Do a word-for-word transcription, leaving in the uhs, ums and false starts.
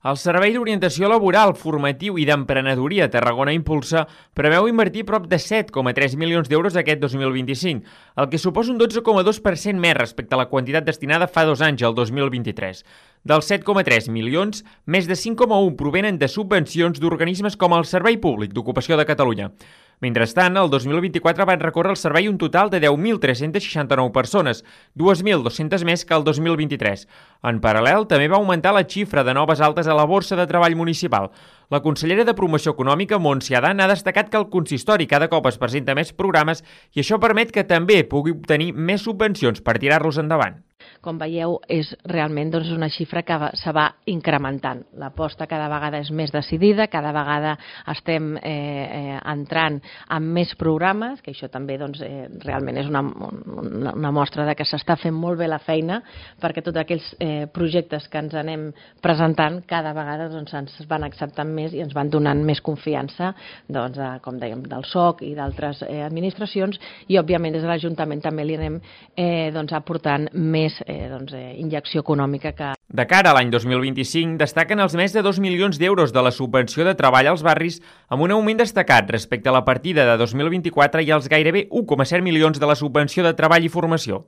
El Servei d'Orientació Laboral, Formatiu i d'Emprenedoria Tarragona Impulsa preveu invertir prop de set coma tres milions d'euros aquest dos mil vint-i-cinc, el que suposa un dotze coma dos per cent més respecte a la quantitat destinada fa dos anys, el dos mil vint-i-tres. Dels set coma tres milions, més de cinc coma un provenen de subvencions d'organismes com el Servei Públic d'Ocupació de Catalunya. Mentrestant, el dos mil vint-i-quatre van recórrer al servei un total de deu mil tres-cents seixanta-nou persones, dues mil dues-centes més que el dos mil vint-i-tres. En paral·lel, també va augmentar la xifra de noves altes a la Borsa de Treball Municipal. La consellera de Promoció Econòmica, Montse Adán, ha destacat que el consistori cada cop es presenta més programes i això permet que també pugui obtenir més subvencions per tirar-los endavant. Com veieu, és realment doncs, una xifra que va, se va incrementant. L'aposta cada vegada és més decidida, cada vegada estem eh, eh, entrant en més programes, que això també doncs, eh, realment és una, una, una mostra de que s'està fent molt bé la feina, perquè tots aquells eh, projectes que ens anem presentant cada vegada doncs, ens van acceptant més i ens van donant més confiança, doncs, eh, com dèiem, del S O C i d'altres eh, administracions, i òbviament des de l'Ajuntament també li anem eh, doncs, aportant més eh, doncs, eh, injecció econòmica que... De cara a l'any dos mil vint-i-cinc, destaquen els més de dos milions d'euros de la subvenció de treball als barris amb un augment destacat respecte a la partida de dos mil vint-i-quatre i els gairebé un coma set milions de la subvenció de treball i formació.